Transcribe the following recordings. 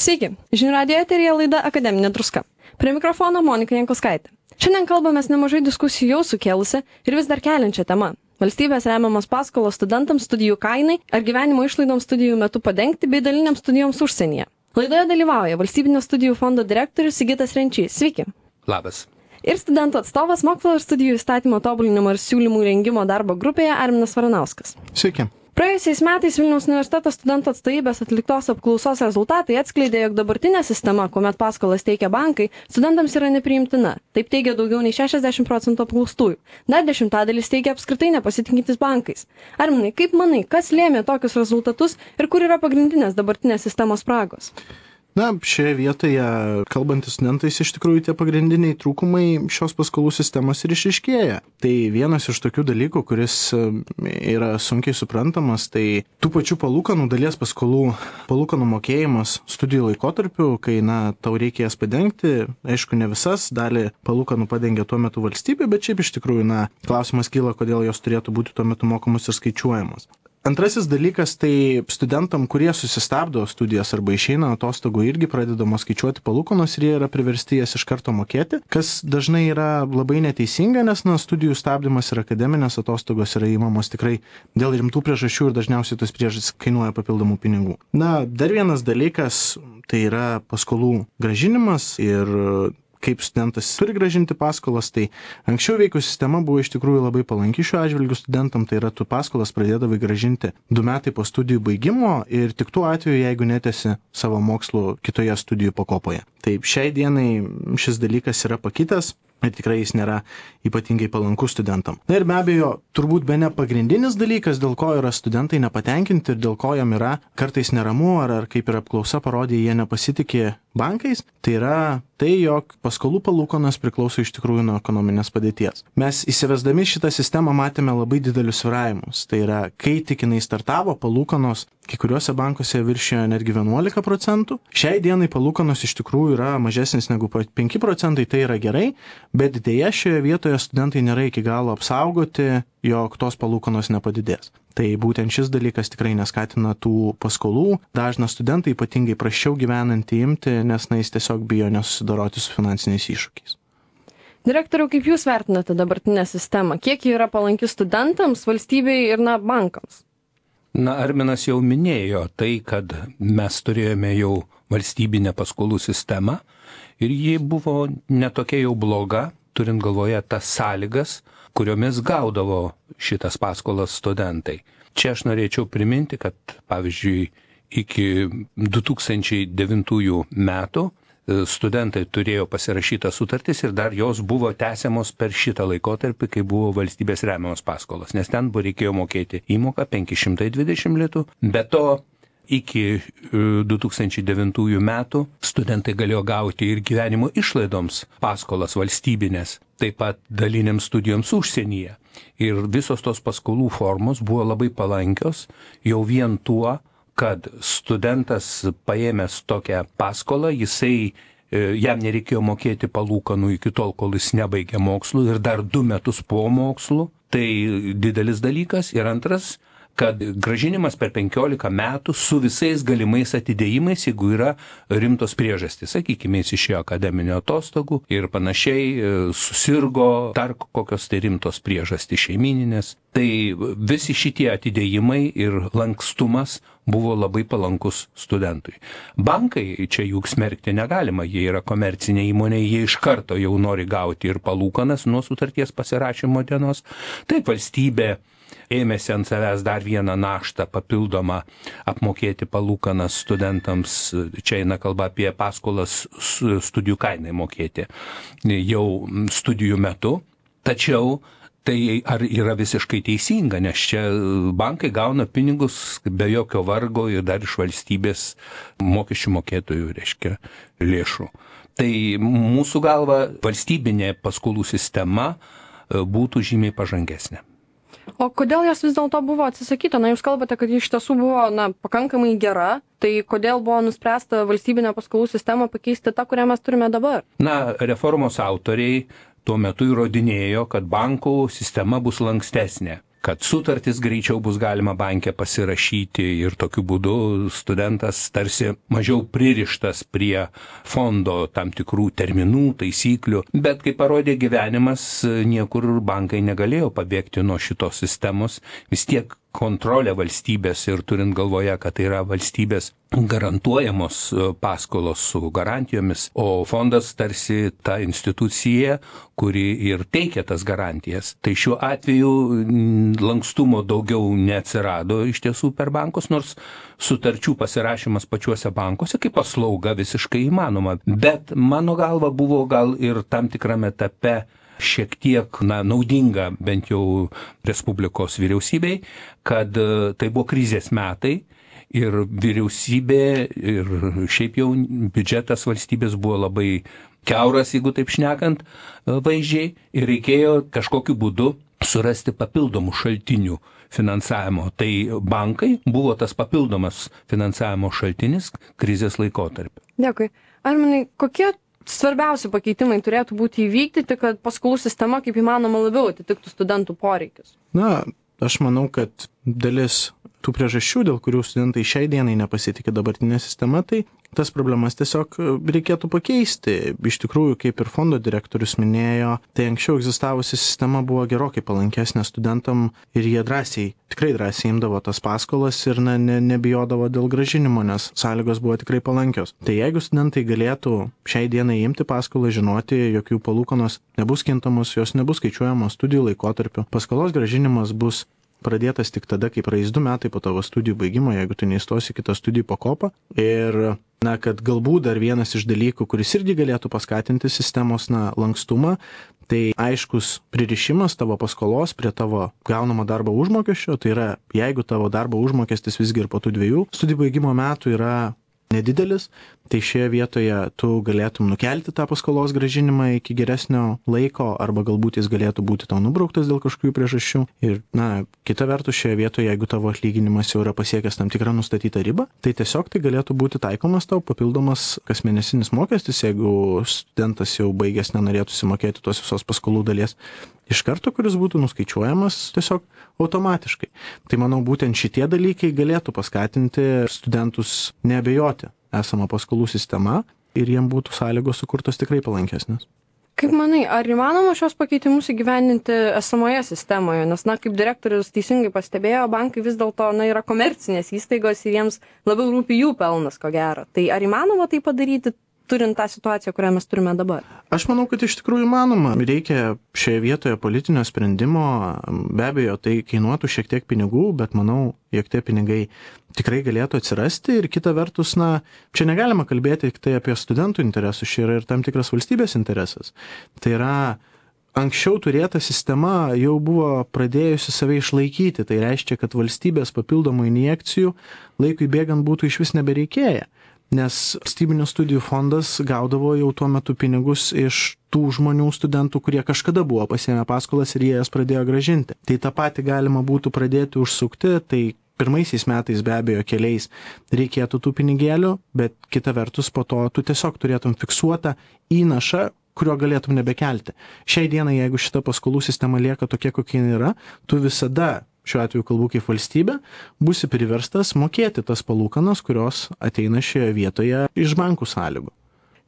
Sveiki, žinių radijo eteryje laida Akademinė druska. Prie mikrofono Monika Jankauskaitė. Šiandien kalbamės nemažai diskusijų jau sukėlusią ir vis dar keliančią temą. Valstybės remiamos paskolos studentams, studijų kainai ar gyvenimo išlaidoms studijų metu padengti bei daliniams studijoms užsienyje. Laidoje dalyvauja Valstybinio studijų fondo direktorius Sigitas Renčys. Sveiki. Labas. Ir studentų atstovas mokslo ir studijų įstatymo tobulinimo ir siūlymų rengimo darbo grupėje Arminas Varanauskas. Sveiki. Praėjusiais metais Vilniaus universiteto studentų atstovybės atliktos apklausos rezultatai atskleidė, jog dabartinė sistema, kuomet paskolas teikia bankai, studentams yra nepriimtina. Taip teigia daugiau nei 60% apklaustųjų. Dar 10% teigia apskritai nepasitikintis bankais. Arminai, kaip manai, kas lėmė tokius rezultatus ir kur yra pagrindinės dabartinės sistemos spragos? Na, šioje vietoje, kalbantis studentais, iš tikrųjų tie pagrindiniai trūkumai šios paskolų sistemos ir išryškėja. Tai vienas iš tokių dalykų, kuris yra sunkiai suprantamas, tai tų pačių palūkanų dalies palūkanų mokėjimas studijų laikotarpiu, kai, tau reikia jas padengti, aišku, ne visas, dalį palūkanų padengia tuo metu valstybė, bet šiaip iš tikrųjų, klausimas kyla, kodėl jos turėtų būti tuo metu mokamos ir skaičiuojamos. Antrasis dalykas, tai studentam, kurie susistabdo studijas arba išeina atostogų, irgi pradedamos skaičiuoti palūkanos ir jie yra priversti jas iš karto mokėti, kas dažnai yra labai neteisinga, nes studijų stabdymas ir akademinės atostogos yra įmamos tikrai dėl rimtų priežasčių ir dažniausiai tos priežastys kainuoja papildomų pinigų. Dar vienas dalykas, tai yra paskolų grąžinimas ir kaip studentas turi grąžinti paskolas, tai anksčiau veikusi sistema buvo iš tikrųjų labai palanki šiuo atžvilgiu studentam, tai yra tu paskolas pradėdavai grąžinti 2 metai po studijų baigimo ir tik tuo atveju, jeigu netesi savo mokslų kitoje studijų pakopoje. Taip, šiai dienai šis dalykas yra pakitęs ir tikrai jis nėra ypatingai palankus studentam. Ir be abejo, turbūt bene pagrindinis dalykas, dėl ko yra studentai nepatenkinti ir dėl ko jam yra kartais neramu, ar kaip ir apklausa parodė, jie nepasitikė bankais, tai yra tai, jog paskolų palūkanos priklauso iš tikrųjų nuo ekonominės padėties. Mes įsivesdami šitą sistemą matėme labai didelius svyravimus. Tai yra, kai tik jinai startavo, palūkanos kai kuriuose bankuose viršijo netgi 11%. Šiai dienai palūkanos iš tikrųjų yra mažesnis negu 5%, tai yra gerai, bet dėja šioje vietoje studentai nėra iki galo apsaugoti, jog tos palūkanos nepadidės. Tai būtent šis dalykas tikrai neskatina tų paskolų. Dažna studentai ypatingai prasčiau gyvenantį imti, nes jis tiesiog bijo nesusidoroti su finansiniais iššūkiais. Direktoriau, kaip jūs vertinate dabartinę sistemą? Kiek ji yra palanki studentams, valstybei ir bankams? Arminas jau minėjo tai, kad mes turėjome jau valstybinę paskolų sistemą ir ji buvo netokia jau bloga, turint galvoje tas sąlygas, kuriomis gaudavo šitas paskolas studentai. Čia aš norėčiau priminti, kad pavyzdžiui iki 2009 metų studentai turėjo pasirašytas sutartis ir dar jos buvo tęsiamos per šitą laikotarpį, kai buvo valstybės remiamos paskolos, nes ten reikėjo mokėti įmoką 520 litų, be to iki 2009 metų studentai galėjo gauti ir gyvenimo išlaidoms paskolas valstybinės, taip pat daliniams studijoms užsienyje. Ir visos tos paskolų formos buvo labai palankios jau vien tuo, kad studentas paėmęs tokią paskolą, jam nereikėjo mokėti palūkanų iki tol, kol jis nebaigė mokslų ir dar 2 metus po mokslų. Tai didelis dalykas. Ir antras, kad grąžinimas per 15 metų su visais galimais atidėjimais, jeigu yra rimtos priežastys. Sakykime, jis išėjo akademinio atostogų ir panašiai, susirgo, dar kokios tai rimtos priežastys šeimininės. Tai visi šitie atidėjimai ir lankstumas buvo labai palankus studentui. Bankai čia juk smerkti negalima, jie yra komercinė įmonė, jie iš karto jau nori gauti ir palūkanas nuo sutarties pasirašymo dienos. Taip, valstybė ėmėsi ant savęs dar vieną naštą papildomą apmokėti palūkanas studentams, čia eina kalba apie paskolas studijų kainai mokėti jau studijų metu, tačiau tai ar yra visiškai teisinga, nes čia bankai gauna pinigus be jokio vargo ir dar iš valstybės mokesčių mokėtojų, lėšų. Tai mūsų galva valstybinė paskolų sistema būtų žymiai pažangesnė. O kodėl jos vis dėlto buvo atsisakyta? Jūs kalbate, kad iš tiesų buvo pakankamai gera, tai kodėl buvo nuspręsta valstybinę paskolų sistemą pakeisti tą, kurią mes turime dabar? Reformos autoriai tuo metu įrodinėjo, kad bankų sistema bus lankstesnė, kad sutartis greičiau bus galima banke pasirašyti ir tokiu būdu studentas tarsi mažiau pririštas prie fondo tam tikrų terminų, taisyklių. Bet kaip parodė gyvenimas, niekur bankai negalėjo pabėgti nuo šitos sistemos. Vis tiek kontrolė valstybės ir turint galvoje, kad tai yra valstybės garantuojamos paskolos su garantijomis, o fondas tarsi ta institucija, kuri ir teikia tas garantijas. Tai šiuo atveju lankstumo daugiau neatsirado iš tiesų per bankus, nors sutarčių pasirašymas pačiuose bankuose kaip paslauga visiškai įmanoma. Bet mano galva buvo gal ir tam tikrame etape šiek tiek naudinga bent jau Respublikos vyriausybei, kad tai buvo krizės metai ir vyriausybė ir šiaip jau biudžetas valstybės buvo labai kiauras, jeigu taip šnekant vaizdžiai, ir reikėjo kažkokiu būdu surasti papildomų šaltinių finansavimo. Tai bankai buvo tas papildomas finansavimo šaltinis krizės laikotarpiu. Dėkui. Arminai, kokie svarbiausi pakeitimai turėtų būti įvykdyti, kad paskolų sistema kaip įmanoma labiau atitiktų studentų poreikius? Na, aš manau, kad dalis tų priežasčių, dėl kurių studentai šiai dienai nepasitikė dabartinė sistema, tai tas problemas tiesiog reikėtų pakeisti. Iš tikrųjų, kaip ir fondo direktorius minėjo, tai anksčiau egzistavusi sistema buvo gerokai palankesnė studentam ir jie tikrai drąsiai imdavo tas paskolas ir nebijodavo dėl grąžinimo, nes sąlygos buvo tikrai palankios. Tai jeigu studentai galėtų šiai dienai imti paskolą, žinoti, jog jų palūkanos nebus kintamos, jos nebus skaičiuojamos studijų laikotarpiu, paskolos grąžinimas bus pradėtas tik tada, kai praeis 2 metai po tavo studijų baigimo, jeigu tu neįstosi kitą studijų pakopą. Ir, kad galbūt dar vienas iš dalykų, kuris irgi galėtų paskatinti sistemos, lankstumą, tai aiškus pririšimas tavo paskolos prie tavo gaunamo darbo užmokesčio, tai yra, jeigu tavo darbo užmokestis visgi ir po tų 2 studijų baigimo metų yra nedidelis, tai šioje vietoje tu galėtum nukelti tą paskolos grąžinimą iki geresnio laiko, arba galbūt jis galėtų būti tau nubrauktas dėl kažkokių priežasčių. Ir, kita vertus, šioje vietoje, jeigu tavo atlyginimas jau yra pasiekęs tam tikrą nustatytą ribą, tai tiesiog tai galėtų būti taikomas tau papildomas kasmėnesinis mokestis, jeigu studentas jau baigęs nenorėtų sumokėti tos visos paskolų dalies iš karto, kuris būtų nuskaičiuojamas tiesiog automatiškai. Tai manau, būtent šitie dalykai galėtų paskatinti studentus neabejoti esamą paskolų sistemą ir jiem būtų sąlygos sukurtos tikrai palankesnės. Kaip manai, ar įmanoma šios pakeitimus įgyvendinti esamoje sistemoje? Nes, kaip direktorius teisingai pastebėjo, bankai vis dėlto yra komercinės įstaigos ir jiems labiau rūpi jų pelnas, ko gero. Tai ar įmanoma tai padaryti, turint tą situaciją, kurią mes turime dabar? Aš manau, kad iš tikrųjų įmanoma. Reikia šioje vietoje politinio sprendimo. Be abejo, tai kainuotų šiek tiek pinigų, bet manau, jog tie pinigai tikrai galėtų atsirasti. Ir kita vertus, čia negalima kalbėti tik tai apie studentų interesus, čia yra ir tam tikras valstybės interesas. Tai yra, anksčiau turėta sistema jau buvo pradėjusi save išlaikyti. Tai reiškia, kad valstybės papildomų injekcijų laikui bėgant būtų iš vis nebereikėję. Nes valstybinių studijų fondas gaudavo jau tuo metu pinigus iš tų žmonių studentų, kurie kažkada buvo pasiėmę paskolas ir jie jas pradėjo grąžinti. Tai tą patį galima būtų pradėti užsukti, tai pirmaisiais metais be abejo keliais reikėtų tų pinigėlių, bet kita vertus po to tu tiesiog turėtum fiksuotą įnašą, kurio galėtum nebekelti. Šiai dienai, jeigu šita paskolų sistema lieka tokia, kokia yra, tu visada, šiuo atveju kalbu kaip valstybė, būsi priverstas mokėti tas palūkanas, kurios ateina šioje vietoje iš bankų sąlygų.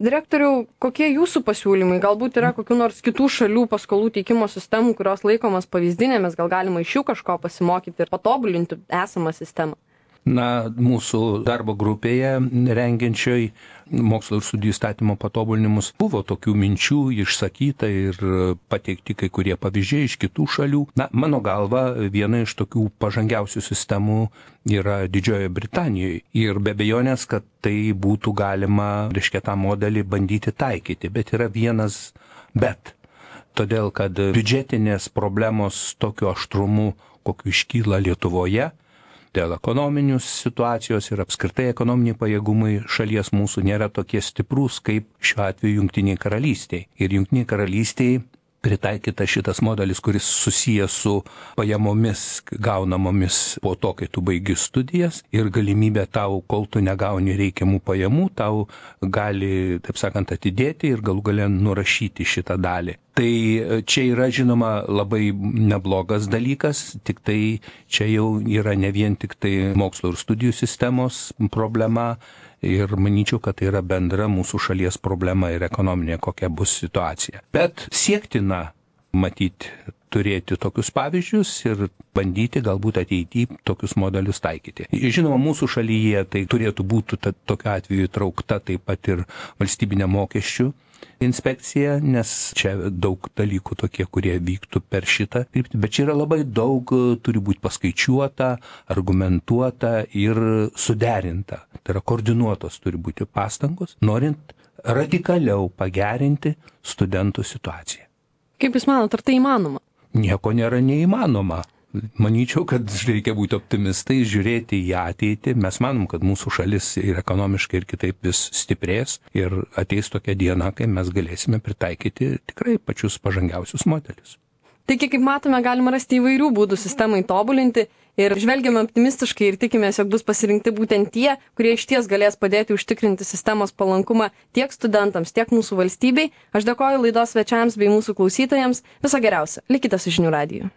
Direktoriau, kokie jūsų pasiūlymai? Galbūt yra kokių nors kitų šalių paskolų teikimo sistemų, kurios laikomas pavyzdinėmis, gal galima iš jų kažko pasimokyti ir patobulinti esamą sistemą? Mūsų darbo grupėje rengiančioj mokslo ir studijų įstatymo patobulinimus buvo tokių minčių išsakyta ir pateikti kai kurie pavyzdžiai iš kitų šalių. Mano galva, viena iš tokių pažangiausių sistemų yra Didžiojoje Britanijoje. Ir be abejonės, kad tai būtų galima, tą modelį bandyti taikyti. Bet yra vienas bet. Todėl, kad biudžetinės problemos tokiu aštrumu, kokiu iškyla Lietuvoje, dėl ekonominius situacijos ir apskritai ekonominiai pajėgumai šalies mūsų nėra tokie stiprus kaip šiuo atveju Jungtinėje karalystėje. Ir Jungtinėje karalystėje pritaikytas šitas modelis, kuris susijęs su pajamomis gaunamomis po to, kai tu baigi studijas ir galimybė tau, kol tu negauni reikiamų pajamų, tau gali, taip sakant, atidėti ir galų gale nurašyti šitą dalį. Tai čia yra, žinoma, labai neblogas dalykas, tik tai čia jau yra ne vien tik tai mokslo ir studijų sistemos problema, ir manyčiau, kad tai yra bendra mūsų šalies problema ir ekonominė, kokia bus situacija. Bet siektina matyti, turėti tokius pavyzdžius ir bandyti galbūt ateityje tokius modelius taikyti. Žinoma, mūsų šalyje tai turėtų būti tokiu atveju traukta taip pat ir valstybinė mokesčių inspekcija, nes čia daug dalykų tokie, kurie vyktų per šitą kryptį, bet čia yra labai daug, turi būti paskaičiuota, argumentuota ir suderinta. Tai yra koordinuotos turi būti pastangos, norint radikaliau pagerinti studentų situaciją. Kaip Jūs manot, ar tai įmanoma? Nieko nėra neįmanoma. Manyčiau, kad reikia būti optimistai, žiūrėti į ateitį. Mes manom, kad mūsų šalis ir ekonomiškai ir kitaip vis stiprės ir ateis tokia diena, kai mes galėsime pritaikyti tikrai pačius pažangiausius modelius. Taigi, kaip matome, galima rasti įvairių būdų sistemai tobulinti ir žvelgiame optimistiškai ir tikimės, jog bus pasirinkti būtent tie, kurie išties galės padėti užtikrinti sistemos palankumą tiek studentams, tiek mūsų valstybei. Aš dėkoju laidos svečiams bei mūsų klausytojams. Viso geriausio. Likite su Žinių radiju.